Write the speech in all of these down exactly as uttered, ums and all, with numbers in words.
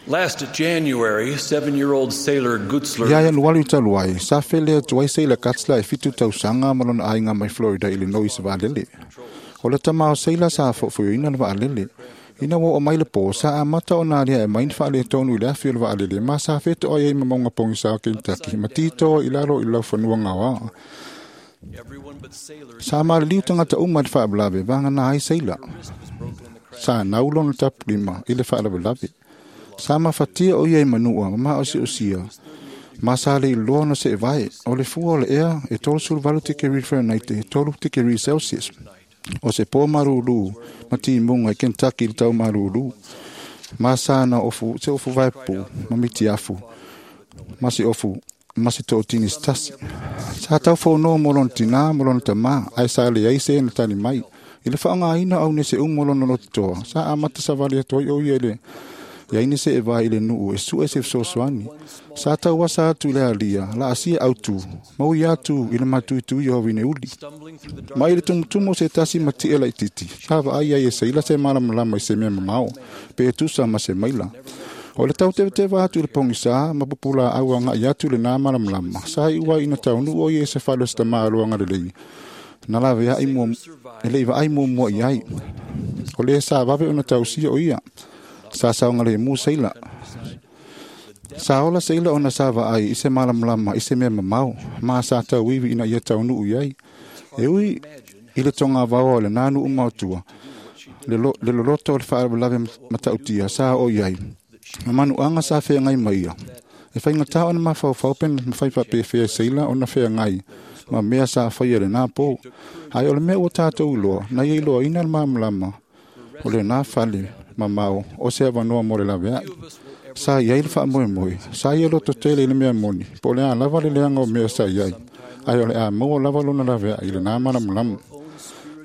Last January, seven-year-old Sailor Gutzler Ia Ianuari talu ai, sa fele atu ai Sailor Gutzler e fitu tausaga ma lona aiga mai Florida, Illinois i vaalele. O le tama o Sailor sa fo'ofo'oina le vaalele. Ina ua oo mai le pō, sa amata ona alia'e mai ni faaletonu i le afi o le vaalele ma sa feto'ai ai ma mauga pogisa o Kentucky ma titoa i lalo i le laufanua gaoa. Everyone but Sailor Sa maliliu tagata uma i le faalavelave vagana ai Sailor. wrist was broken in the crash. Sa nau lona tapulima i le faalavelave. Sa mafatia o ia i manua ma maosi'osia ma sa le iloa ona se'evae. O le fua o le ea e tolusefuluvalu tikeri Fahrenheit e tolu tikeri Celsius. O se pō malūlū ma timuga i Kentucky i le tau malūlū. Ma sa na ofu, se ofu vaepupu ma mitiafu ma se ofu ma se to'atini se tasi. Sa taufonoa mo lona tinā ma lona tamā, ae sa leai se na tali mai. I le faaaogāina o aunese uma o lona lototoa, sa amata savali atu ai o ia i le ia se e vai i le nuu e su'e se fesoasoani. Sa tauasa atu i le alia, laasia autu, ma ui atu i le matuituia o vineuli. Stumbling through the dark Ma i le tumutumu o se tasi ma ti'e laititi, sa vaai ai e Seila se malamalama i se mea mamao, pe e tusa ma se maila. O le tautevateva atu i le pogisā ma pupulā'au aga'i atu i lenā malamalama, sa i'u ai ina taunuu o ia i se fale o se tamā aloaga lelei. Na lavea'i mua, e le'i vaai muamua i ai. O lē sa vave ona tausia o ia. Sa saogalēmū Seila. Sa ola Seila ona sa vaai i se malamalama i se mea mamao, ma sa tauivi ina ia taunuu i ai. E ui i le togavaoa o lenā nuu maotua, le, lo, le loloto o le faalavelave matautia sa o i ai. Ma manuaga sa feagai ma ia. E faigatā ona mafaufau pe na mafai faapefea e Seila ona feagai ma mea sa faia lenā pō. Ae o le mea ua tatou iloa, na ia iloaina le malamalama o lenā fale mamao o se avanoa mo le lavea'i. Sa iai le faamoemoe, sa ia lototele i le mea moni, po o le a lava le leaga o mea sa iai, ae o le a maua lava lona lavea'i i lenā malamalama.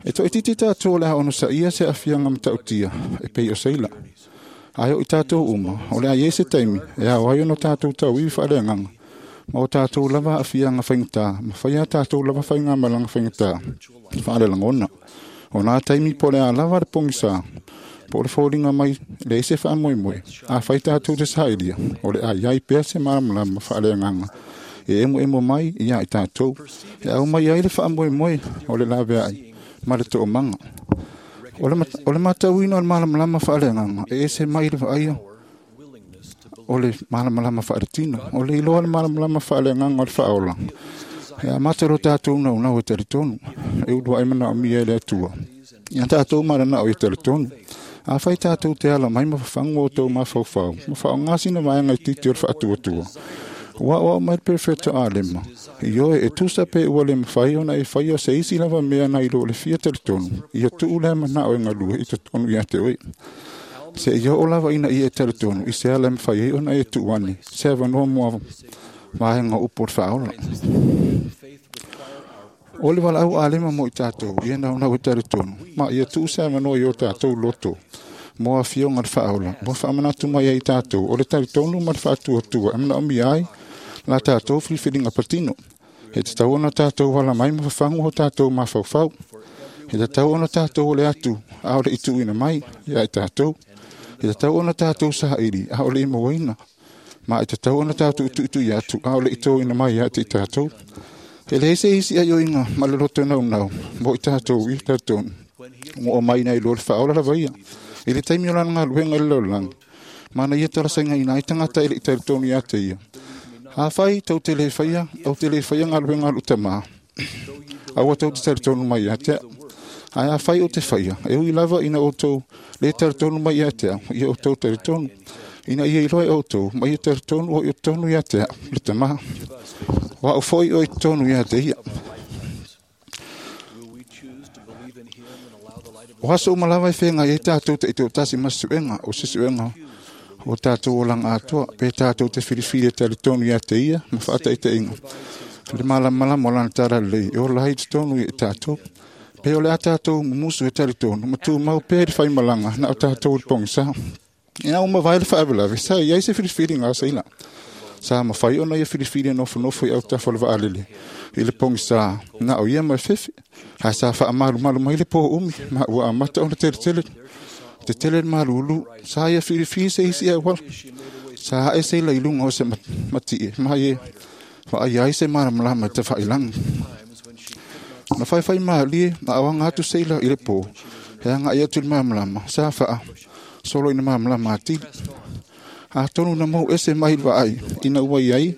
E to'aititi tatou o le a onosaia se aafiaga matautia e pei o Seila. Ae o i tatou uma, o le a iai se taimi e ao ai ona tatou tauivi faaleagaga, ma o tatou lava aafiaga faigata, ma faia tatou lava faigamalaga faigata faalelagona. O nā taimi po o le a lava le pogisā, po o le foliga mai leai se faamoemoe, afai tatou te saʻilia, o le a iai pea se malamalama faaleagaga e emoemo mai ia i tatou. E au mai ai le faamoemoe o le lavea'i ma le toomaga. O le, mat- o le matauina o le malamalama faaleagaga e ese mai le vaaia willingness to o le malamalama faaletino. O le iloa le malamalama faaleagaga o le faaola. E amata lo tatou naunau e talitonu. E ulua'i manaomia e le Atua. Ia tatou mananao ia talitonu. Afai tatou te ala mai ma fafagu o outou mafaufau, ma faaaogā sina vaega itiiti o le faatuatua. Ua aoao mai le perofeta Alema. Ioe e tusa pe ua le mafai ona e faia se isi lava mea nai lo le fia talitonu. Ia tuu lea manao e galue i totonu ia te oe. Se ia oo lava ina ia e talitonu i se ala e mafai ai ona e tuu ane. Se avanoa mo vaega o upu o le faaola. faith require our O le valaau Alema mo i tatou, ia naunau e talitonu. Ma ia tuu se avanoa i o tatou loto. Mo afioga le faaola. Mo faamanatu mai ai tatou. O le talitonu ma le faatuatua. E manaomia ai la tatou filifiliga patino. E tatau ona tatou ala mai ma fafagu o tatou mafaufau. E tatau ona tatou ole atu, a o le i tuuina mai ia i tatou. E tatau ona tatou saili, a o le i mauaina. Ma e tatau ona tatou tuitui atu, a o le i toina mai ia te i tatou. E leai se isi aioiga ma le loto naunau, mo i tatou i talitonu. Ua oo mai nai lo le faaola lava ia. I le taimi o lana galuega i le lalolagi. Ma na ia talasagaina ai tagata e le'i talitonu ia te ia. Afai tou te le faia, ou te le faia galuega a lou Tamā. Aua tou te talitonu mai ia te au. Ae afai ou te faia, e ui lava ina outou le talitonu mai ia te au, ia outou talitonu. Ina ia iloa e outou, ma ia talitonu o i totonu ia te au, le Tamā. O a'u foi o i totonu ia te ia. Will we choose to believe in him and allow the light of O aso uma lava e feagai ai tatou ta'itoatasi ma suega, o se suega o tatou olaga atoa, pe tatou te filifili e talitonu ia te ia ma faataitaiga. Le malamalama o lana talalelei e ola ai i totonu ia i tatou. Pe o le a tatou mumusu e talitonu, ma tumau pea i le faimalaga na o tatou i le pogisā. Ina ua mavae le faalavelave, sa i ai se filifiliga a Seila. Sa mafai ona ia filifili e nofonofo i autafa o le vaalele i le pogisā na o ia ma le fefe. Ae sa faamalumalu mai le pō umi ma ua amata ona teletele Tetele le malulu, sa ia filifili se isi auala. Sa ae seila i luga o se matie, ma ie vaai ai se malamalama i tafailagi. Na faifai malie, na aoga atu seila i le po, he agai atu i le malamalama, sa faa solo i na malamalama atili. Atonu na mau ese mai le vaai, ina ua iai,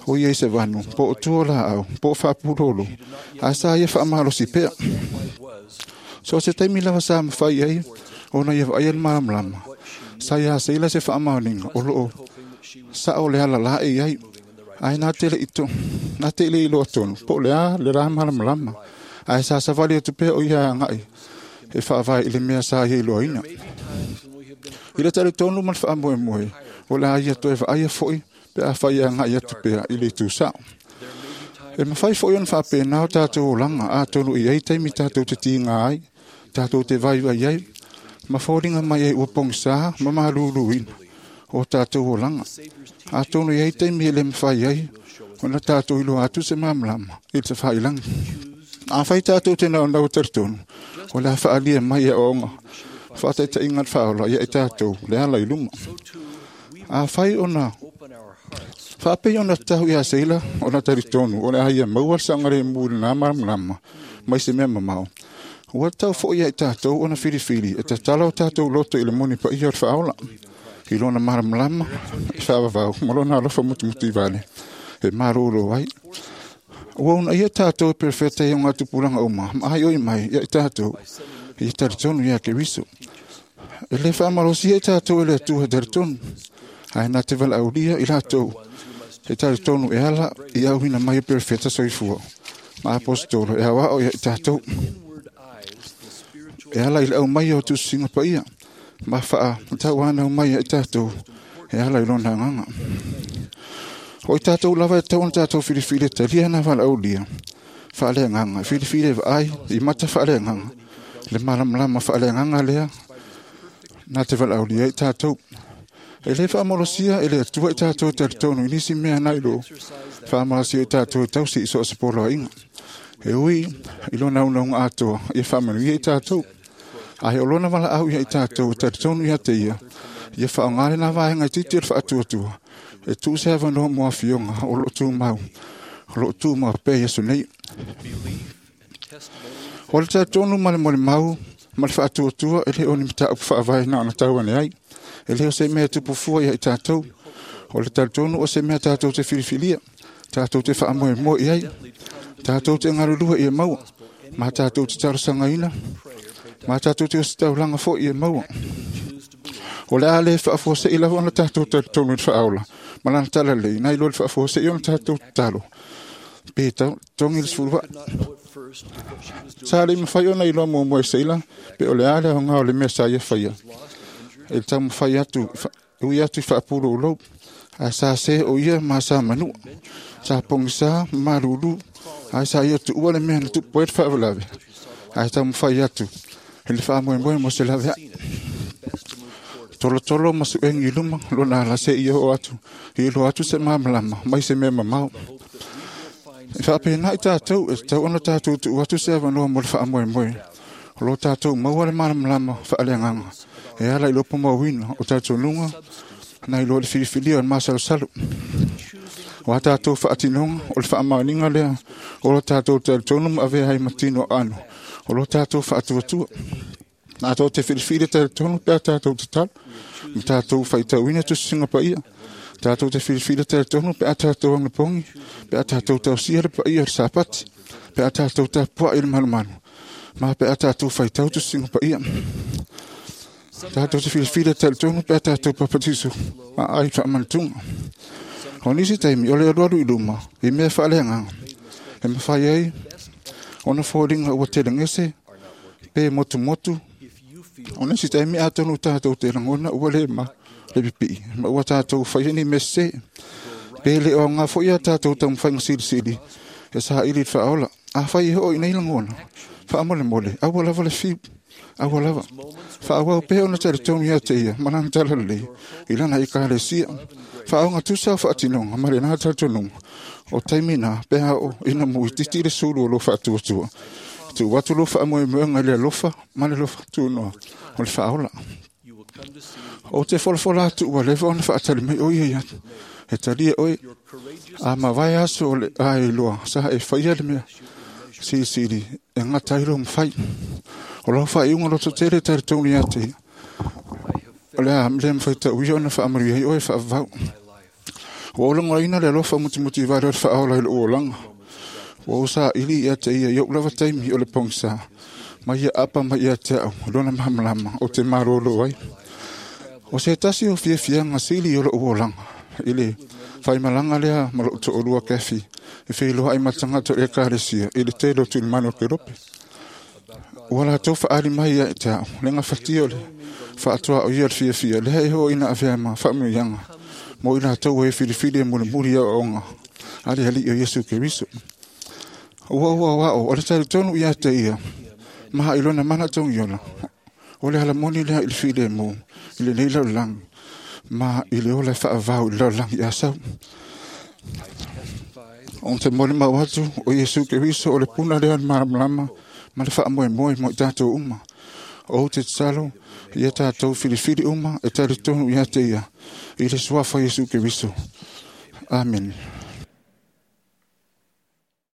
o iai se vanu, po o tua laau, po o faapulolo, ae sa ia faamalosi pea. So se taimi lava sa mafai ai, ona ia vaaia le malamalama. Sa ia seila se faamaoniga o loo sao le ala la e iai, ae na te le ito, na te le iloa tonu, po o le a le la malamalama, ae sa savali atu pea o ia agai, e faavae i le mea sa ia iloaina. I le talitonu ma le faamoemoe, o le a ia toe vaaia foi, pe afai agai atu pea i le itu sao. E mafai foi ona faapena o tatou olaga, atonu i ai taimi tatou te tiga ai, tatou te vaivai ai, ma foliga mai ai ua pogisa ma maluluina o tatou olaga. Atonu i ai taimi e le mafai ai ona tatou iloa atu se malamalama i le tafailagi. Afai tatou te naunau talitonu, o le a faalia mai aoaoga faataitaiga le faaola ia i tatou le ala i luma. Afai ona faapei ona tatau ia seila ona talitonu o le a ia maua le saogalemu i lena malamalama mai se mea mamao. Ua tatau foi ia i tatou ona filifili e tatala o tatou loto i le moni paia o le faaola, i lona malamalama e faavavau ma lona alofa mutumutu vale e malolo ai. Ua una ia tatou e perefeta i o tupulaga uma ma aioi mai ia i tatou ia talitonu ia Keriso. E le faamalosia i tatou e le Atua talitonu, ae na te valaaulia i latou e talitonu e ala i auina mai o perefeta soifua ma apostolo e aoao ia i tatou. E ala i le aumai o tusiga paia ma faatauanau mai ia i tatou e ala i lona agaga. O i tatou lava e tatau ona tatou filifili e talia na valaaulia faaleagaga, filifili e vaai i mata faaleagaga, le malamalama faaleagaga lea na te valaaulia i tatou. E le faamalosia e le Atua i tatou talitonu i nisi mea na ilo faamalosia i tatou e tausi i so o se poloaiga. E ui i lona unauga atoa ia faamanuia i tatou, ae o lona valaau ia i tatou e talitonu ia te ia, ia faaaoga lena vaega itiiti o le faatuatua, e tuu se avanoa mo afioga o loo tumau, o loo tumau pea Iesu nei. O le talitonu ma le molimau ma le faatuatua e le o ni mataupu faavae na ona tau ane ai. E le o se mea tupu fua ia i tatou. O le talitonu o se mea tatou te filifilia, tatou te faamoemoe i ai, tatou te galulue ia maua, ma tatou te talosagaina, ma tatou te ositaulaga foi ia maua. O le a le faafuasei lava ona tatou talitonu i le faaola, ma lana talalelei, nai lo le faafuasei ona tatou tatalo. Pe togi le sefulu vaa. Sa le mafai ona iloa muamua e seila, pe o le a le aoga o le mea sa ia faia. E le taumafai atu, ui atu i faapulou, ae sa se o ia ma sa manua. Sa pogisa ma malulu, ae sa ia tuua le mea na tupu ai le faalavelave. Ae taumafai atu i le faamoemoe mo se laveai. Tolotolo ma suegi i luma, lona ala se ia oo atu, i iloa atu se malamalama mai se mea mamao. E faapena i tatou, e tatau ona tatou tuu atu se avanoa mo le faamoemoe. O lo tatou maua le malamalama faaleagaga, e ala i lopo mauina o talitonuga nai lo le filifilia o le masalosalo. O a tatou faatinoga o le faamaoniga lea o lo tatou talitonu ma avea ai ma tino aano, o lo tatou faatuatua. Tatou te filifili talitonu pe a tatou tatalo, ma tatou faitauina tusiga paia. Tatou te filifili talitonu pe a tatou agapogi, pe a tatou tausia le paia o le Sapati, pe a tatou tapuai i le malumalu, ma pe a tatou faitau tusiga paia. Tatou te filifili talitonu pe a tatou papatiso ma ai faamanatuga. O nisi taimi o le alualu i luma i mea faaleagaga, e mafai ai ona foliga ua telegese pe motumotu. O nisi taimi atonu tatou te lagona ua le ma le pipii, ma ua tatou faia ni mea sese. Pe le o aoga foi a tatou taumafaiga silisili e saili i le faaola. Afai e oo i nei lagona, faamolemole, aua lava le fiu, aua lava. Faaauau pea ona talitonu ia te ia ma lana talalelei i lana ekalesia. Faaoga tusa o faatinoga ma lena talitonuga o taimi na pe a oo ina muititi le sulu o lo faatuatua. Tuu atu lou faamoemoega i le alofa ma le alofa tunoa o le faaola. You will come to see O te folafola atu ua leva ona faatali mai o ia ia e talia oe. your courageous A mavae aso o le ae loa sa e faia le mea silisili e gata ai lou mafai. O lau faaiuga lototele e talitonu ia te ia. O le a le mafai tauia ona faamanuia ai oe faavavau. my life. Ua ou lagonaina le alofa mutimutivale o le faaola i lou olaga. Ua ou saili ia te ia i ou lava taimi o le pogisa. Ma ia apa mai ia te au, lona malamalama o te malolo ai. O se tasi o fiafiaga sili o lou olaga, i le faimalaga lea ma lou toalua Kefi, e feiloai ma tagata o le ekalesia i le tele o tulimanu o Kerope. Ua latou faaali mai ia te au, le gafatia o le faatoa o ia le fiafia, lea e oo ina avea ma faamanuiaga mo i latou e filifili e mulimuli aoaoga a le Alii o Iesu Keriso. Ua ua o ao, o le talitonu ia te ia, ma i lona mana togiola, o le alamoni lea i le filemu, i lenei lalolagi, ma i le ola e faavavau i le lalolagi asau. Testify O te molimau atu o Iesu Keriso o le puna lea o le malamalama ma le faamoemoe mo i tatou uma. O te tatalo ia tatou filifili uma e talitonu ia te ia i le suafa o Iesu Keriso. Amene.